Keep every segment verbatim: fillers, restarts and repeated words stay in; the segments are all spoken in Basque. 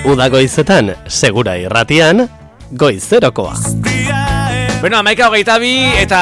Uda goizetan, segura irratian, goizerokoa. Bueno, amaika hogeita bi eta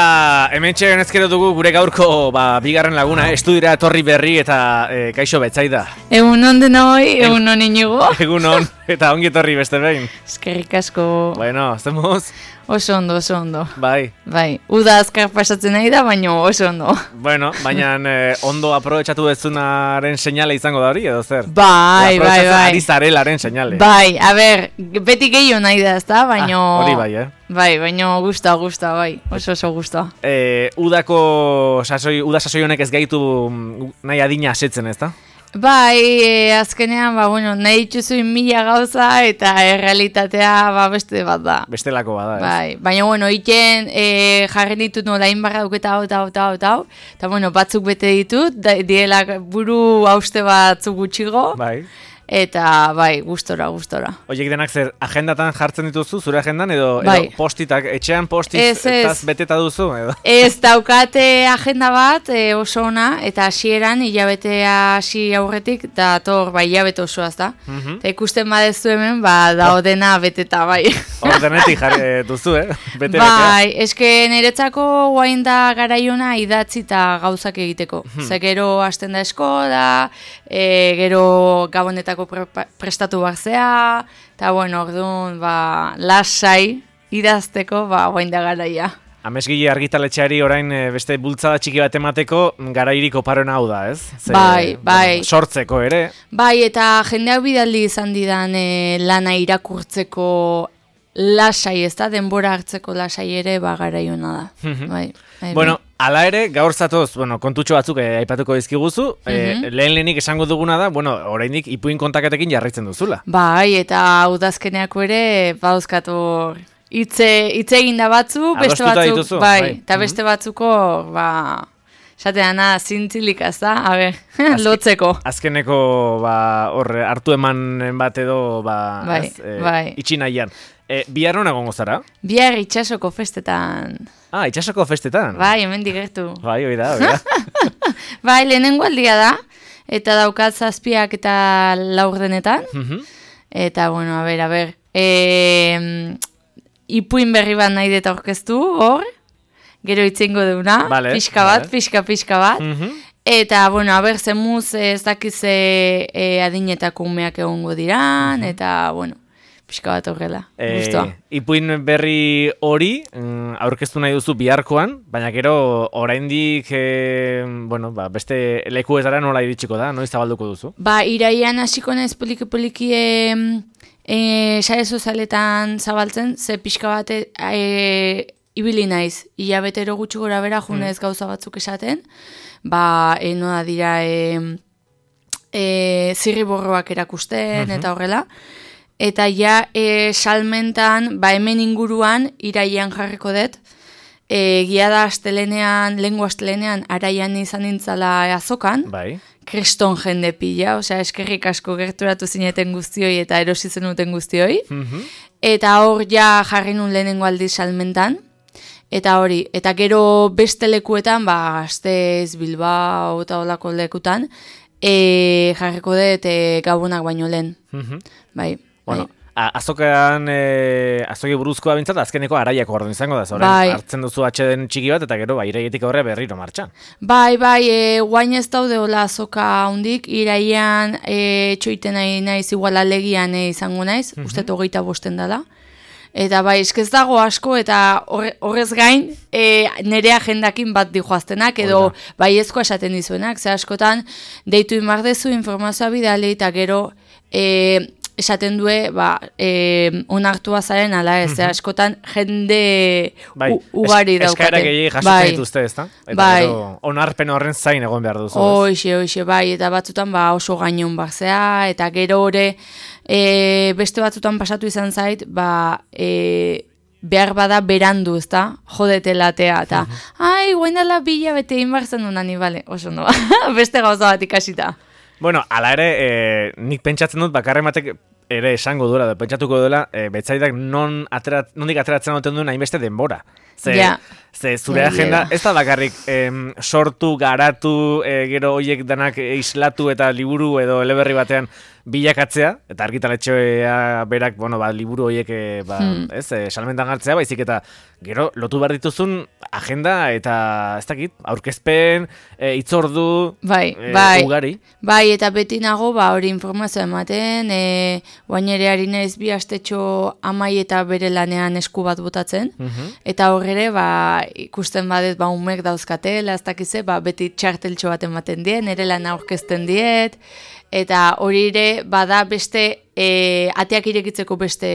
hemen txeren ezkero dugu gure gaurko ba, bigarren laguna, estudira etorri berri eta e, kaixo betzaida. Egun on denoi, egun on inigo. Egun on, eta ongi etorri beste behin. Eskerrik asko. Bueno, zemuz? Oso ondo, oso ondo. Bai. Bai, uda azkar pasatzen nahi da, baina oso ondo. Bueno, baina eh, ondo aprobetxatu dezunaren seinale izango da hori, edo zer? Bai, bai, bai. Ari zarelaren seinale. Bai, a ber, beti gehiago nahi da, ezta, baina... Ah, hori bai, eh? Bai, baina gusta, gusta, bai, oso oso gusta. Eh, udako sasoi, uda sasoi honek ez gaitu nahi adina asetzen, ezta? Bai, e, azkenean, ba, bueno, nahi dituzuin mila gauza eta errealitatea ba, beste bat da. Bestelako bada, ez? Bai, baina, bueno, iten e, jarri ditut nola inbarra duketa hau, eta hau, eta hau, eta hau, eta, bueno, batzuk bete ditut, da, diela buru hauste batzuk gutxigo. Bai. Eta, bai, gustora, gustora. Oiek denak zer, agendatan jartzen dituzu, zure agendan, edo, bai. edo postitak, etxean postiz ez, ez. etaz beteta duzu, edo? Ez daukate agenda bat e, oso ona, eta hasieran hilabetea hasi aurretik, eta tor, bai, hilabete osoaz da. Mm-hmm. Eta ikusten badezu hemen, ba, daudena beteta, bai. Ordenetik jarri duzu, eh? Bete, bai, eske niretzako guain da garaiona idatzi eta gauzak egiteko. Hmm. Ze gero hasten da eskola, e, gero gabonetako Pre prestatu barzea, eta bueno, orduan, ba, lasai idazteko, ba, guain da garaia. Amesgile argitaletxeari orain e, beste bultzada txiki bat emateko garairiko paroena hau da, ez? Ze, bai, bai. Bueno, sortzeko ere. Bai, eta jendeak bidaldi izan didan e, lana irakurtzeko lasai, ez da? Denbora hartzeko lasai ere, ba, garaiona da. bai, bai, bueno, ala ere, gaur zatoz, bueno, kontutxo batzuk eh, aipatuko dizkiguzu, eh, lehen lehenik esango duguna da, bueno, oraindik ipuin kontaketekin jarraitzen duzula. Bai, eta udazkeneako ere, bauzkatu hitze hitze egin da batzuk, beste Adostuta batzuk, dituzu, bai, bai. eta beste batzuko, ba, esateana zintzilik az da, a ber, lotzeko. Azkeneko, ba, hor, hartu eman bat edo, ba, bai, ez, eh, bai. itxi nahian. E, bihar hona gongo zara? Bihar itxasoko festetan. Ah, itxasoko festetan? Bai, hemen digertu. Bai, hoi da, hoi da. Bai, lehenengo aldia da, eta daukat zazpiak eta laurdenetan. Mhm. Eta, bueno, a ber, a ber, e, ipuin berri bat nahi deta orkestu, hor, gero itzengo deuna, vale, pixka bat, vale. pixka, pixka bat. Mhm. Eta, bueno, a ber, zemuz ez dakize e, adinetako umeak egongo diran, Mhm. eta, bueno, pixka bat horrela, E, guztua. ipuin berri hori mm, aurkeztu nahi duzu biharkoan, baina gero oraindik e, bueno, ba, beste lekuetara nola iritsiko da, noiz zabalduko duzu? Ba, iraian hasiko naiz poliki-poliki e, e, sare sozialetan zabaltzen, ze pixka bat e, e, ibili naiz, hilabetero gutxi gora bera junez gauza batzuk esaten, ba, e, noa dira e, e, zirriborroak erakusten eta horrela, eta ja e, salmentan, ba hemen inguruan, iraian jarriko dut, e, gia da astelenean, lengua astelenean, araian izan nintzala azokan, Bai. kriston jende pila, osea eskerrik asko gerturatu zineten guztioi eta erosi zenuten guztioi, Mhm. eta hor ja jarri nun lehenengo aldiz salmentan, eta hori, eta gero beste lekuetan, ba, Gasteiz, Bilbao eta olako lekutan, e, jarriko dut e, gabonak baino lehen, Mhm. bai. Bueno, bai. a- azokan, e, azoki buruzkoa bintzat, azkeneko araiako orduan izango da, zoren, Bai. hartzen duzu atxeden txiki bat, eta gero, ba, iraietik aurre berriro martxan. Bai, bai, e, guain ez daude hola azoka hundik, iraian e, txoiten nahi naiz, igual alegian e, izango naiz, mm -hmm. uste hogeita bosten dela. Eta bai, eskez dago asko, eta horre, horrez gain, e, nire agendakin bat dijoaztenak, edo Oida. bai ezko esaten dizuenak, ze askotan, deitu inbardezu informazioa bidali, eta gero, e, esaten due, ba, e, onartua zaren ala ez, mm -hmm. askotan jende Bai, u, ugari es, daukate. eskaera gehiagik jasotzen bai. dituzte, ezta? Eta Bai. gero, onarpen horren zain egon behar duzu. ez? Hoxe, hoxe, bai, eta batzutan ba, oso gainon barzea, eta gero ore, e, beste batzutan pasatu izan zait, ba, e, behar bada berandu, ezta? Jodete latea, eta, ai, guain dela bila bete inbarzen duen ani, bale, oso no, beste gauza bat ikasita. Bueno, ala ere, e, nik pentsatzen dut, bakarren batek ere esango duela, edo pentsatuko duela, e, betzaidak non aterat, nondik ateratzen duten duen hainbeste denbora. Ze, Ja. ze zure Ja, agenda, ja. ez da bakarrik em, sortu, garatu, e, gero hoiek danak islatu eta liburu edo eleberri batean bilakatzea, eta argitaletxea berak, bueno, ba, liburu horiek, ba, hmm. ez, e, salmentan hartzea, baizik eta gero lotu behar dituzun agenda eta ez dakit, aurkezpen, e, itzordu, bai, e, bai, ugari. Bai, eta beti nago, ba, hori informazioa ematen, e, guain ere ari naiz bi astetxo amai eta bere lanean esku bat botatzen, uh-huh. eta horre, ba, ikusten badet, ba, umek dauzkatela, ez dakize, ba, beti txarteltxo bat ematen dien, nire lan aurkezten diet, eta hori ere, bada beste, e, ateak irekitzeko beste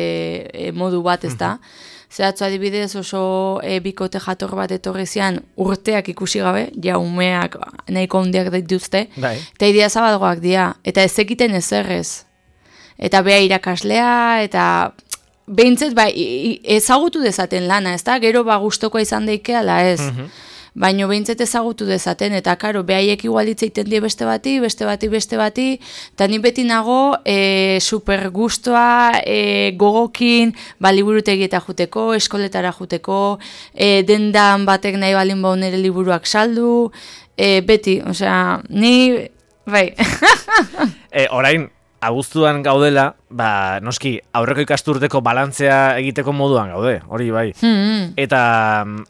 e, modu bat, ez da? Uh-huh. Zeratzu adibidez oso e, bikote jator bat etorri zian urteak ikusi gabe, ja umeak nahiko handiak dituzte, bai. Eta idea zabalgoak dira, eta ez ekiten ezerrez. Eta bea irakaslea, eta behintzet ba, ezagutu dezaten lana, ez da? Gero ba gustokoa izan daike ala ez. Mm-hmm. Baino behintzet ezagutu dezaten, eta karo, behaiek igualitza iten die beste bati, beste bati, beste bati, eta ni beti nago e, super gustoa, e, gogokin, ba, liburutegieta juteko, eskoletara juteko, e, dendan batek nahi balin bau nire liburuak saldu, e, beti, osea, ni, bai. e, orain, abuztuan gaudela, ba, noski, aurreko ikasturteko balantzea egiteko moduan gaude, hori bai. Mm-hmm. Eta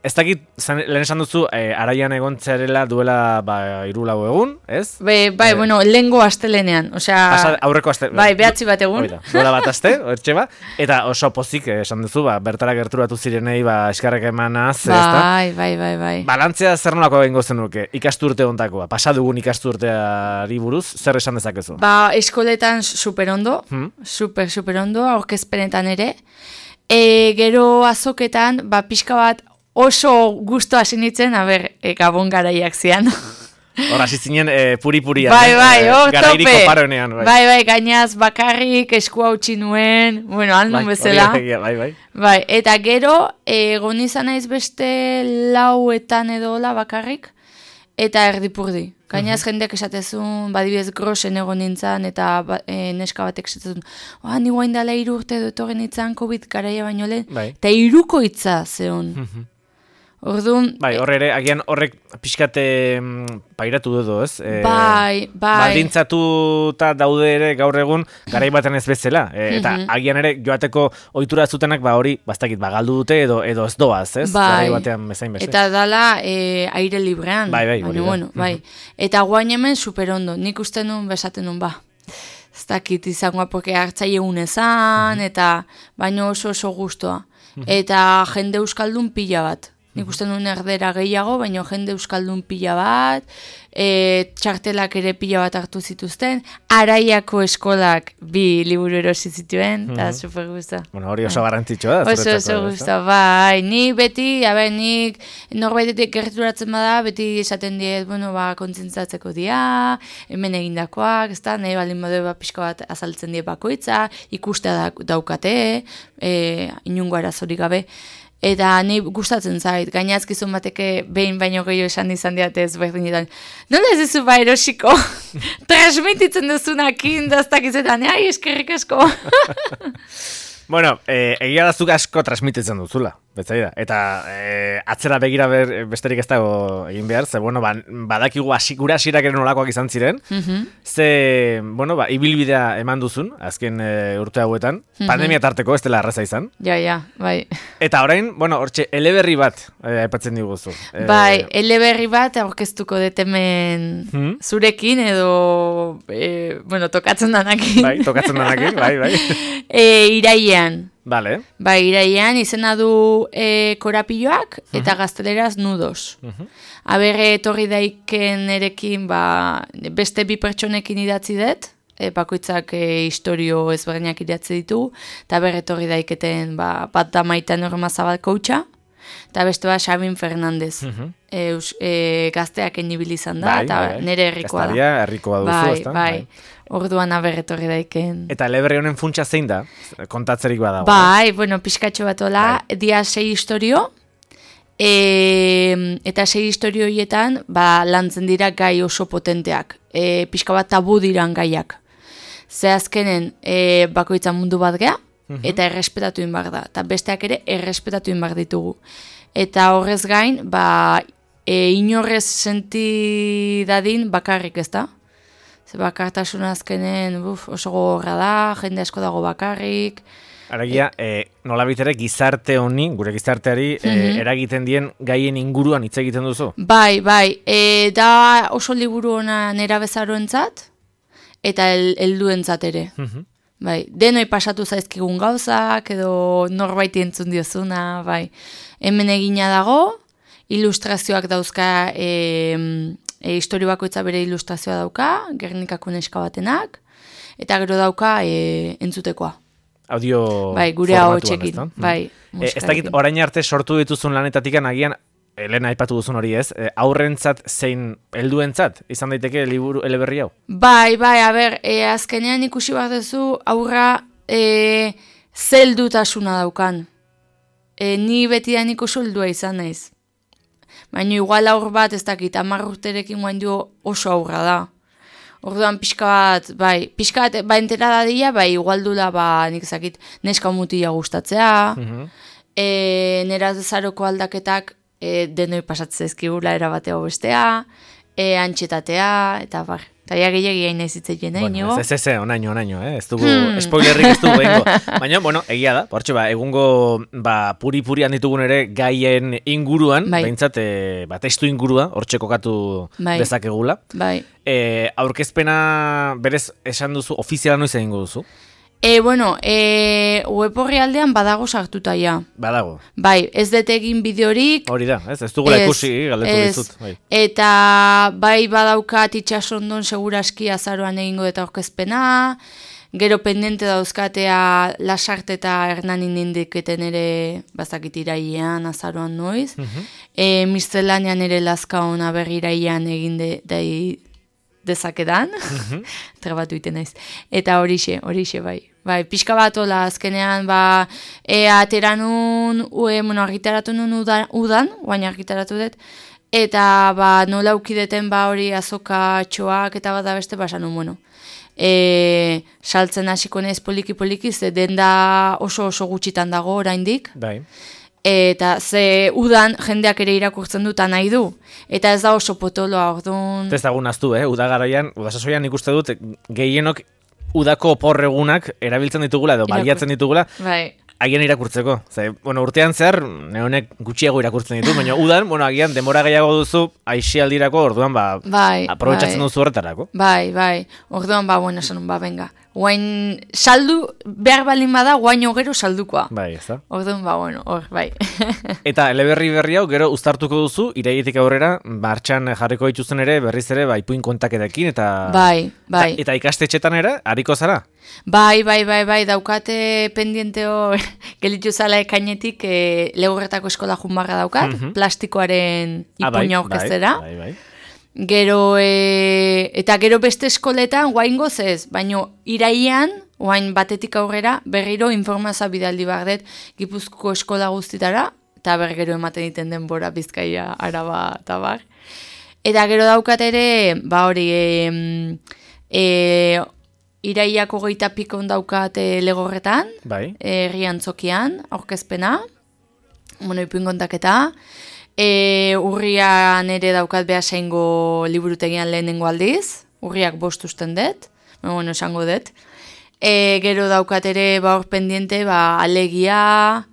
ez dakit, zan, lehen esan duzu, e, araian egontzearela duela ba, iru lau egun, ez? Be, bai, e, bueno, lehengo astelenean, osea... Asa, aurreko aste... Bai, behatzi bat egun. Oida, dola bat aste, hortxe ba, eta oso pozik, esan duzu, ba, bertara gerturatu zirenei, ba, eskarrek emanaz, bai, ez da? Bai, bai, bai. Balantzea zer nolako egingo zenuke, ikasturte ontakoa, pasadugun ikasturteari buruz, zer esan dezakezu? Ba, eskoletan super ondo, hmm? super, super ondo, aurkezpenetan ere. E, gero azoketan, ba, pixka bat oso gusto hasi nintzen, a ber, e, gabon garaiak zian. Hor, hasi zinen e, puri-purian. Bai, bai, eh? oh, Garairiko tope. paronean. Bai. bai, bai, gainaz bakarrik eskua utzi nuen, bueno, aldun bai, bezala. Bai, bai. Bai, eta gero, egon izan naiz beste lauetan edola bakarrik, eta erdipurdi. Gainaz uh-huh. jendeak esatezun, badibidez grosen egon nintzen, eta ba, e, neska batek esatezun, oa, ni guain dala iru urte dutoren nintzen, COVID garaia baino lehen, bai. Eta iruko hitza zeon. Uh-huh. Orduan... Bai, horre ere, agian horrek pixkate pairatu dudu, ez? E, bai, bai. Baldintzatuta daude ere gaur egun, garai baten ez bezala. E, eta uh-huh. agian ere, joateko ohitura zutenak, ba hori, bastakit, ba, galdu dute edo edo ez doaz, ez? Bai. Garai batean bezain beste. Eta dala e, aire librean. Bai, bai, baina, bueno, bai. Uh-huh. Eta guain hemen superondo, nik uste nun besaten nun, ba. Ez dakit izangoa, porque hartzaile unezan, uh-huh. eta baino oso oso gustoa. Uh-huh. Eta jende euskaldun pila bat. Nik uste nuen erdera gehiago, baina jende euskaldun pila bat, e, txartelak ere pila bat hartu zituzten, Araiako eskolak bi liburu erosi zituen, eta mm-hmm. super gusta. Bueno, hori oso garrantzitsua da. Oso, oso gusta, bai. Ni beti, abe, nik norbaitetik gerturatzen bada, beti esaten diet, bueno, ba, kontzentzatzeko dia, hemen egindakoak, ez da, nahi balin badu ba, pixka bat azaltzen die bakoitza, ikustea daukate, e, inungo arazorik gabe. Eta ni gustatzen zait, gainazkizun bateke behin baino gehiago esan izan diatez berdinetan. Nola ez duzu ba erosiko? Transmititzen duzunakin, daztak izetan, ai, eskerrik asko. Bueno, eh, egia da zuk asko transmititzen duzula, betzaida. Eta eh, atzera begira ber, besterik ez dago egin behar, ze, bueno, ba, badakigu asikura asirak ere nolakoak izan ziren, mm-hmm. ze, bueno, ba, ibilbidea eman duzun, azken e, urte hauetan, mm-hmm. pandemia tarteko ez dela arraza izan. Ja, ja, bai. Eta orain, bueno, hortxe, eleberri bat e, aipatzen diguzu. E, bai, eleberri bat aurkeztuko dut hemen hmm? zurekin edo, e, bueno, tokatzen danakin. Bai, tokatzen danakin, bai, bai. e, iraia. Vale. Bai, iraian izena du e, korapilloak eta uh-huh. gazteleraz nudos. Uh-huh. Aberre etorri daiken erekin ba, beste bi pertsonekin idatzi dut, e, bakoitzak e, historio ezberdinak idatzi ditu, eta berre etorri daiketen ba, bat da Maite Norma Zabal koutxa, eta beste bat Xabin Fernandez. Uh-huh. e, e, gazteak enibil izan da, eta bai, bai. Nire herrikoa da. Gaztaria herrikoa duzu, bai, ezta? Bai, bai. Orduan aberretorri daiken. Eta eleberri honen funtsa zein da? Kontatzerik badago. Bai, bueno, pixkatxo bat ola, bai. Dia sei historio, e, eta sei historio horietan, ba, lantzen dira gai oso potenteak. E, pixka bat tabu diran gaiak. Ze azkenen, e, bakoitza mundu bat gea, uh-huh. eta errespetatu inbar da. Eta besteak ere, errespetatu inbar ditugu. Eta horrez gain, ba, e, inorrez senti dadin bakarrik, ez da? Ze bakartasuna azkenen buf, oso gogorra da, jende asko dago bakarrik. Aragia, e, nola bitere gizarte honi, gure gizarteari, e, eragiten dien gaien inguruan hitz egiten duzu? Bai, bai, e, da oso liburu ona nera bezaroentzat eta el, helduentzat ere. Bai, denoi pasatu zaizkigun gauzak, edo norbaiti entzun diozuna, bai. Hemen egina dago, ilustrazioak dauzka, e, e, historio bakoitza bere ilustrazioa dauka, Gernikako neska batenak, eta gero dauka e, entzutekoa. Audio bai, gure ahotsekin, bai. E, ez dakit, orain arte sortu dituzun lanetatik agian, Elena aipatu duzun hori ez, e, aurrentzat zein helduentzat izan daiteke liburu eleberri hau? Bai, bai, a ber, e, azkenean ikusi behar duzu aurra e, zeldutasuna daukan. E, ni betidan ikusi heldua izan naiz. Baina igual aur bat ez dakit, hamar urterekin guain du oso aurra da. Orduan pixka bat, bai, pixka bat, ba entera dadia, bai, igual dula, ba, nik zakit, neska mutila gustatzea, uh-huh. e, nera zaroko aldaketak e, denoi pasatzea ezkigula erabateo bestea, e, antxetatea, eta bar, eta ja gehiagia inaizitzeien, eh, bueno, ez, ez, ez, onaino, onaino, eh, ez dugu, hmm. spoilerrik ez dugu behingo. Baina, bueno, egia da, portxe, ba, egungo, ba, puri-purian ditugun ere gaien inguruan, bai. Behintzat, e, ba, testu ingurua, hortxe kokatu bai. Dezakegula. Bai. E, aurkezpena berez esan duzu, ofiziala noiz egingo duzu? E, bueno, e, web horri aldean badago sartuta ja. Badago. Bai, ez dut egin bideorik. Hori da, ez, ez dugula ikusi, galdetu dizut. Bai. Eta bai badaukat itxasondon seguraski azaroan egingo eta aurkezpena, gero pendente dauzkatea Lasarte eta Hernanin indiketen ere bazakit irailean azaroan noiz. Uh-huh. E, Mistelanean ere Lazka ona berri irailean egin de, dai, dezakedan, uh-huh. trebatu iten naiz. Eta horixe, horixe bai. Bai, pixka bat ola, azkenean, ba, e, ateranun, ue, bueno, argitaratu nun udan, udan guain argitaratu dut, eta, ba, nola ukideten, ba, hori azoka txoak, eta bat da beste, ba, sanun, bueno. E, saltzen hasiko naiz poliki-poliki, ze denda oso oso gutxitan dago oraindik. Bai. Eta ze udan jendeak ere irakurtzen duta nahi du. Eta ez da oso potoloa, orduan... Ez dagun aztu, eh? Udagaraian, udasasoian ikuste dut, gehienok udako oporregunak erabiltzen ditugula edo Irakur. Baliatzen ditugula. Bai. Agian irakurtzeko. Ze, bueno, urtean zehar, neonek gutxiago irakurtzen ditu, baina udan, bueno, agian demora gehiago duzu, aixialdirako, orduan, ba, bai, aprobetxatzen bai. duzu horretarako. Bai, bai. Orduan, ba, bueno, esan, ba, venga. Guain, saldu, behar balin bada, guain gero saldukoa. Bai, ez da. Orduan, ba, bueno, hor, bai. Eta eleberri berri hau, gero uztartuko duzu, irailetik aurrera, martxan jarriko dituzten ere, berriz ere, bai, ipuin kontaketekin, eta... Bai, bai. Eta, eta ikastetxetan ere, hariko zara? Bai, bai, bai, bai, daukate pendienteo gelitu zala ekainetik e, Legorretako eskola junbarra daukat, mm-hmm. plastikoaren ipuina aurkeztera. Bai, bai, bai. Gero, e, eta gero beste eskoletan, guain gozez, baino iraian, guain batetik aurrera, berriro informazioa bidaldi behar dut Gipuzkoako eskola guztitara, eta bergero ematen diten denbora Bizkaia, Araba, eta bar. Eta gero daukat ere, ba hori, e, e, iraiako goita pikon daukat e, Legorretan, bai. herri antzokian, aurkezpena, bueno, ipuin kontaketa, E, urrian ere daukat behasaingo liburutegian lehenengo aldiz, urriak bost usten dut, bueno, esango dut. E, gero daukat ere ba hor pendiente, ba, alegia,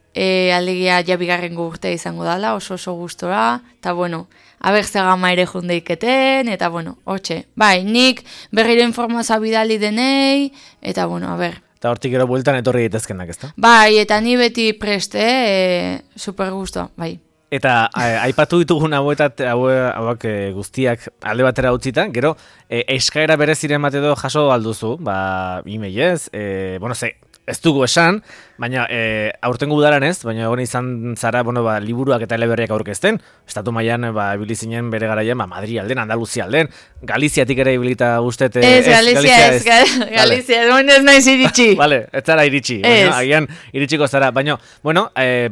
e, alegia jabigarrengo urtea izango dala, oso oso gustora, eta bueno, abertze gama ere jundeiketen, eta bueno, hortxe. Bai, nik berriro informazioa bidali denei, eta bueno, a ber. Eta hortik gero bueltan etorri daitezkenak, ezta? Bai, eta ni beti preste, e, super gusto, bai. Eta aipatu ditugun hauetat, hauak e, guztiak alde batera utzita, gero e, eskaera bereziren bat edo jaso alduzu, ba, e-mailez, e, bueno, ze, ez dugu esan, baina e, aurtengo udaran ez, baina egon izan zara, bueno, ba, liburuak eta eleberriak aurkezten, estatu mailan ba, ibilizinen bere garaian, ba, Madri alden, Andaluzia alden, Galiziatik ere ibilita guztet... Ez, ez, Galizia ez, Galizia, Galizia, ez naiz iritsi. Vale, ez zara iritsi, baina, agian iritsiko zara, baina, bueno, e,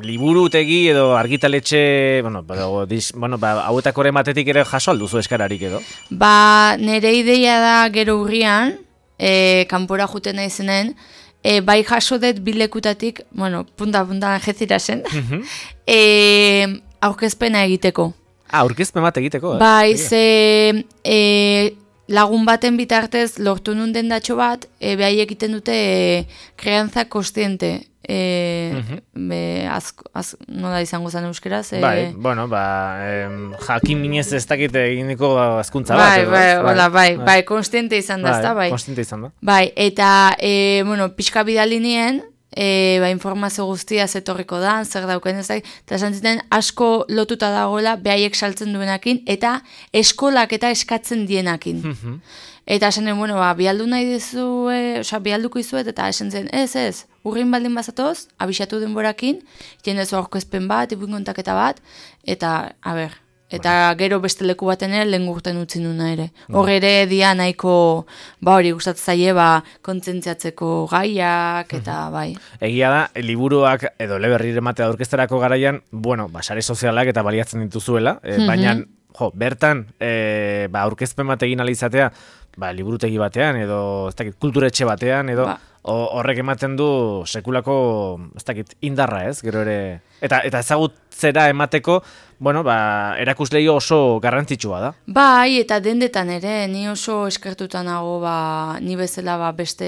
liburutegi edo argitaletxe, bueno, ba, dis, bueno, ba, hauetako ere matetik ere jaso alduzu eskararik edo? Ba, nire ideia da gero urrian, e, kanpora juten naizenen, e, bai jaso dut bilekutatik, bueno, punta-punta jezira zen, mm-hmm. e, aurkezpena egiteko. Ah, aurkezpen bat egiteko? Eh? Bai, ze... E, lagun baten bitartez lortu nun dendatxo bat, e, behai egiten dute e, kreantza kostiente. E, Mhm. be, az, az, nola izango zen euskeraz? E, Bai, bueno, ba, em, jakin minez ez dakit eginiko azkuntza bat. bai, edo, bai, ez? hola, bai, bai, konstiente izan da, ezta, bai. Konstiente izan da. Bai, eta, e, bueno, pixka bidali nien, e, ba, informazio guztia zetorriko da, zer dauken ez da, eta esan ziten asko lotuta dagoela behaiek saltzen duenakin, eta eskolak eta eskatzen dienakin. Mhm. Eta esan den, bueno, ba, bialdu nahi dizu, e, oza, bialduko izuet, eta esan zen, ez, ez, urrin baldin bazatoz, abisatu denborakin, iten dezu aurkezpen bat, ipuin kontaketa bat, eta, a ber, eta gero beste leku baten ere lehen gurten utzi nuna ere. Hor ere dia nahiko, ba hori gustatzen zaie, ba, kontzentziatzeko gaiak, eta bai. Egia da, liburuak edo eleberri ematea aurkezterako garaian, bueno, ba, sare sozialak eta baliatzen dituzuela, e, baina, jo, bertan, e, ba, aurkezpen bat egin alizatea, ba, liburutegi batean, edo, ez dakit, kulturetxe batean, edo, Ba. o- horrek ematen du sekulako, ez dakit, indarra ez, gero ere, eta, eta ezagutzera emateko, bueno, ba, erakuslei oso garrantzitsua da. Bai, eta dendetan ere, ni oso eskertuta nago, ba, ni bezala ba, beste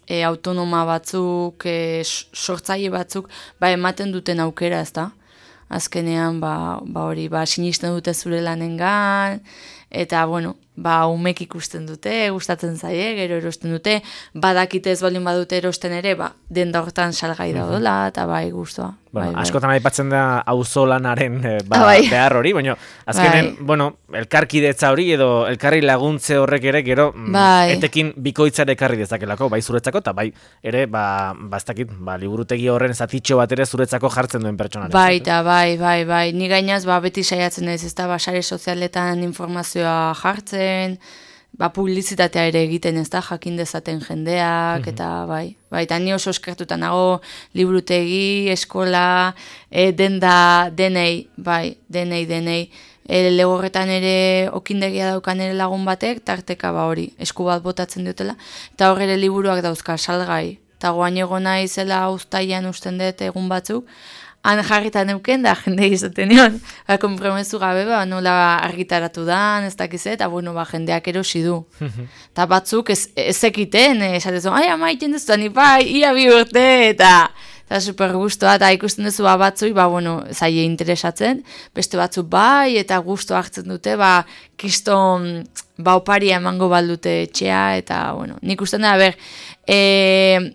e, autonoma batzuk, e, sortzaile batzuk, ba, ematen duten aukera, ezta? Azkenean, ba, ba hori, ba, sinisten dute zure lanengan, eta, bueno, ba, umek ikusten dute, gustatzen zaie, gero erosten dute, badakite ez baldin badute erosten ere, ba, denda hortan salgai daudela, eta bai, guztua. Bueno, bai, bai. askotan aipatzen da auzolanaren eh, ba, Ah, bai. behar hori, baina azkenen, Bai. bueno, elkarkidetza hori edo elkarri laguntze horrek ere gero mm, Bai. etekin bikoitzare ekarri dezakelako, bai zuretzako, eta bai ere, ba, ba ez dakit, ba, liburutegi horren zatitxo bat ere zuretzako jartzen duen pertsonaren. Bai, eta bai, bai, bai. Ni gainaz, ba, beti saiatzen ez, ez da, ba, sare sozialetan informazioa jartzen, ba, publizitatea ere egiten ez da, jakin dezaten jendeak, eta bai. Bai, eta ni oso eskertuta nago liburutegi, eskola, e, denda, denei, bai, denei, denei. E, legorretan ere okindegia daukan ere lagun batek, tarteka ba hori, esku bat botatzen diotela, eta hor ere liburuak dauzka salgai. Eta goain egon naizela uztailan usten dut egun batzuk, han jarritan euken da, jende izaten nion, ba, konpromezu gabe, ba, nola argitaratu dan, ez dakiz, eta bueno, ba, jendeak erosi du. Eta batzuk ez, ez ekiten, esatezu, ai, ama, iten duzu, ni bai, ia bi urte, eta eta super gustoa, eta ikusten duzu ba, batzui, ba, bueno, zaie interesatzen, beste batzuk bai, eta gusto hartzen dute, ba, kiston, ba, oparia emango baldute etxea, eta, bueno, nik usten da, ber, e,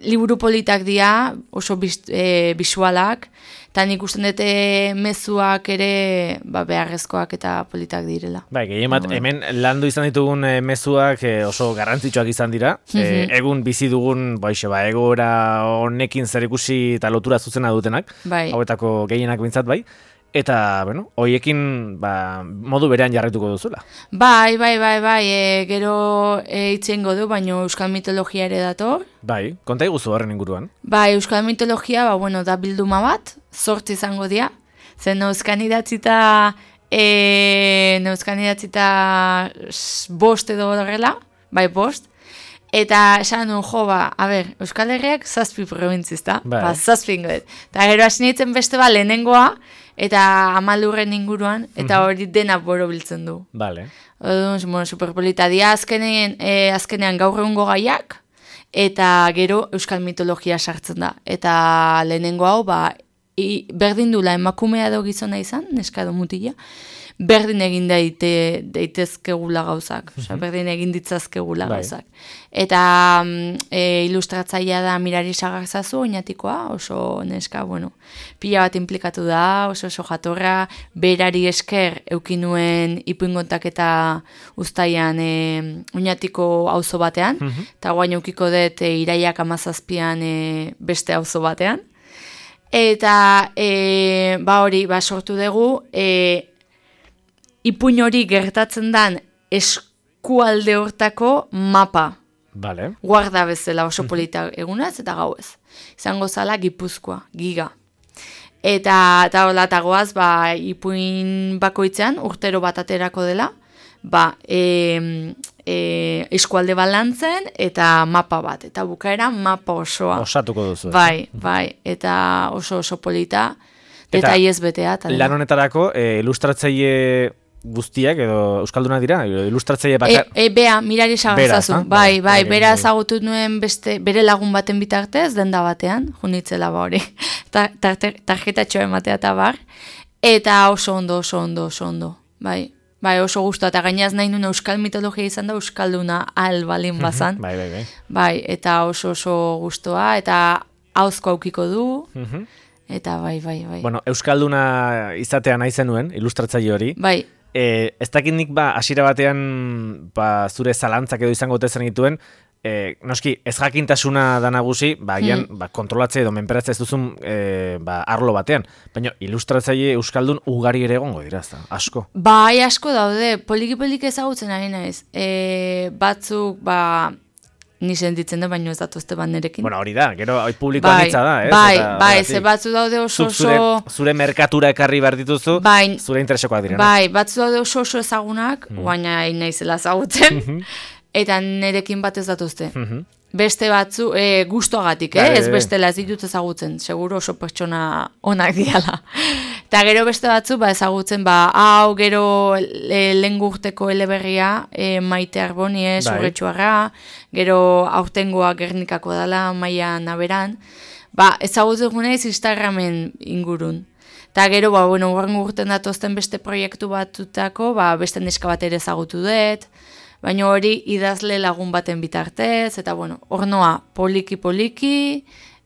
liburu politak dira, oso biz, e, bisualak, eta nik usten dute mezuak ere ba, beharrezkoak eta politak direla. Bai, gehiemat, hemen landu izan ditugun e, mezuak e, oso garrantzitsuak izan dira. E, egun bizi dugun, baixe, ba, egoera honekin zer ikusi eta lotura zuzena dutenak, Bai. hauetako gehienak bintzat bai. Eta, bueno, hoiekin ba, modu berean jarrituko duzula. Bai, bai, bai, bai, e, gero e, itzengo du, baino euskal mitologia ere dator. Bai, konta iguzu horren inguruan. Bai, euskal mitologia, ba, bueno, da bilduma bat, zortzi izango dira. Zen neuzkan idatzita, e, neuzkan idatzita s- bost edo horrela, bai, bost. Eta esan nuen, jo, ba, a ber, Euskal Herriak zazpi provintzizta, Bai. ba, zazpi ingoet. Eta gero hasi nintzen beste ba, lehenengoa, eta amalurren inguruan, eta hori dena borobiltzen du. Vale. Odun, bueno, superpolita dia azkenean, e, azkenean gaur egungo gaiak, eta gero euskal mitologia sartzen da. Eta lehenengo hau, ba, i, berdin dula emakumea edo gizona izan, neska edo mutila, berdin egin daite, daitezkegula gauzak, osea, berdin egin ditzazkegula Bai. gauzak. Eta mm, e, ilustratzailea da Mirari Sagarzazu, oinatikoa, oso neska, bueno, pila bat implikatu da, oso oso jatorra, berari esker eukinuen ipuingontaketa uztaian e, oinatiko auzo batean, eta guain eukiko dut e, iraiak amazazpian e, beste auzo batean. Eta e, ba hori, ba sortu dugu, e, ipuin hori gertatzen dan eskualde hortako mapa. Vale. Guarda bezala oso polita egunaz eta gauez. Izango zala Gipuzkoa, giga. Eta, eta hola, eta goaz, ba, ipuin bakoitzean, urtero bat aterako dela, ba, e, e, eskualde balantzen eta mapa bat. Eta bukaera mapa osoa. Osatuko duzu. Bai, bai, eta oso oso polita, detaiez betea. Eta dena. Lan honetarako, e, ilustratzaile guztiak edo euskaldunak dira, ilustratzaile bakar... E, e, bea, mirari sagantzazu, Bera, bai, bai, bai, bera bai. ezagutu nuen beste, bere lagun baten bitartez, denda batean, junitzela ba hori, ta, ta, tarjetatxoa ematea eta bar, eta oso ondo, oso ondo, oso ondo, bai, bai, oso guztua, eta gainaz nahi nuen euskal mitologia izan da, euskalduna al balin bazan, bai, bai, bai. bai, eta oso oso guztua, eta hauzko aukiko du, eta bai, bai, bai. Bueno, euskalduna izatea nahi zenuen, ilustratzaile hori, Bai, E, ez dakit nik ba, hasiera batean ba, zure zalantzak edo izango tezen dituen, e, noski, ez jakintasuna da nagusi, ba, agian, Mm. ba, kontrolatze edo menperatze ez duzun e, ba, arlo batean. Baina ilustratzaile euskaldun ugari ere egongo dira, ezta, asko. bai asko daude, poliki-poliki ezagutzen ari naiz. E, batzuk, ba, ni sentitzen da, baino ez datuzte banerekin. Bueno, hori da, gero hori publikoan bai, hitza da, ez? bai, Eta, bai, horregatik, ze batzu daude oso zuk zure, oso... zure merkatura ekarri behar dituzu, Bai, zure interesekoak dira. bai, batzu daude oso oso ezagunak, baina hain naizela ezagutzen, eta nerekin bat ez datuzte. Mhm. Beste batzu, e, gustoagatik, eh? Bai, ez bai, bai. bestela ez ditut ezagutzen, seguro oso pertsona onak diala. Eta gero beste batzu, ba, ezagutzen, ba, hau gero e, lehen urteko eleberria, e, Maite Arboni, eh, Bai. Zurretxuarra, gero aurtengoa Gernikako dala, Maia Naberan, ba, ezagutzen guneiz Instagramen ingurun. Eta gero, ba, bueno, urrengo urten datozten beste proiektu batutako, ba, beste neska bat ere ezagutu dut, baina hori idazle lagun baten bitartez, eta bueno, ornoa poliki-poliki,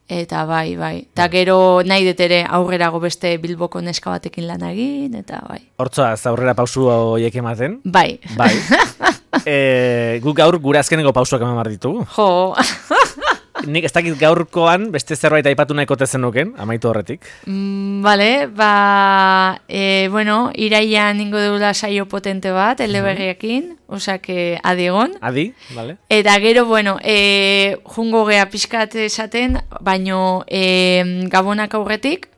eta bai, bai. Eta gero nahi dut ere aurrerago beste Bilboko neska batekin lan egin, eta bai. Hortzoa, ez aurrera pausu horiek ematen. Bai. Bai. e, guk gaur gure azkeneko pausuak eman behar ditugu. Jo, Nik ez dakit gaurkoan beste zerbait aipatu nahiko tezenuken, amaitu horretik. mm, vale, ba, e, bueno, iraian ingo deula saio potente bat, eleberriakin, osak adiegon. Adi, vale? Eta gero, bueno, e, jungo gea pixkat esaten, baino e, gabonak aurretik,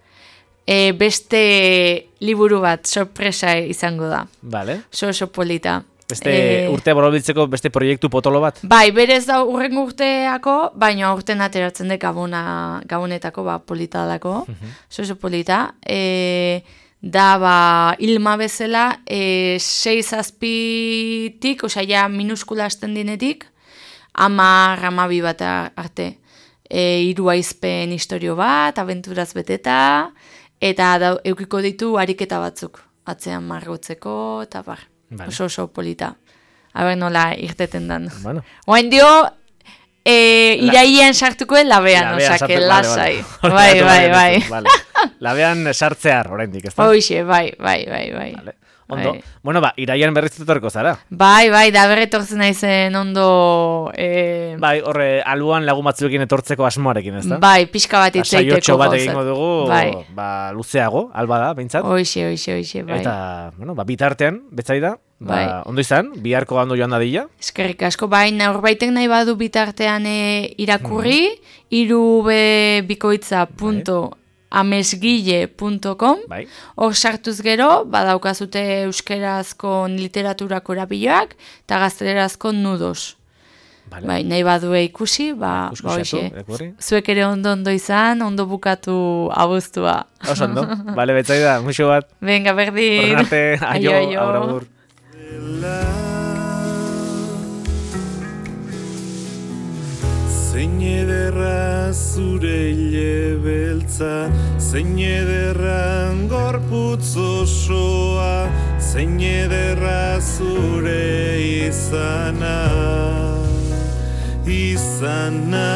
e, beste liburu bat sorpresa izango da. Vale. Oso oso polita. Beste E, urte borobiltzeko beste proiektu potolo bat? Bai, berez da urren urteako, baina aurten ateratzen dut gabona, gabonetako, ba, polita dalako, oso oso polita. E, da, ba, Ilma bezala, e, sei zazpitik, osea, ja, minuskula hasten dinetik, amar, amabi bat arte. E, hiru aizpen historio bat, abenturaz beteta, eta da, eukiko ditu ariketa batzuk, atzean margotzeko, eta bar. Vale. Oso oso polita. Aber nola irteten dan. Bueno. Oain dio, e, iraian sartuko labean, Labean osake, sartu- lasai. vale, Bai, vale. bai, bai. Vale. Labean sartzear, oraindik, ez da? Hoxe, bai, bai, bai, bai. Vale. Ondo. Bai. Bueno, ba, iraian berriz etorriko zara. Bai, bai, da berretortzen naizen ondo... E, Bai, horre, alboan lagun batzuekin etortzeko asmoarekin, ez da? bai, pixka bat itzeiteko. Saiotxo bat gauzat. egingo dugu, Bai, ba, luzeago, alba da, behintzat. hoxe, hoxe, hoxe, bai. Eta, bueno, ba, bitartean, betzaida, ba, Bai. ondo izan, biharko ondo joan dadila. Eskerrik asko, bai, norbaitek nahi badu bitartean e, irakurri, irubebikoitza punto amesgile punto com, Bai. hor sartuz gero, badaukazute euskerazko literaturako erabiloak, eta gaztelerazko nudos. Vale. Bai, nahi badue ikusi, ba, Ikusi, ba hoxe. irakurri. Zuek ere ondo ondo izan, ondo bukatu abuztua. Oso ondo, bale, betzaida, muixo bat. Venga, berdin. Horren arte, aio, Aio, aio. aur, agur. Zein ederra zure hile beltza, zein ederran gorputz osoa, zein ederra zure izana, izana.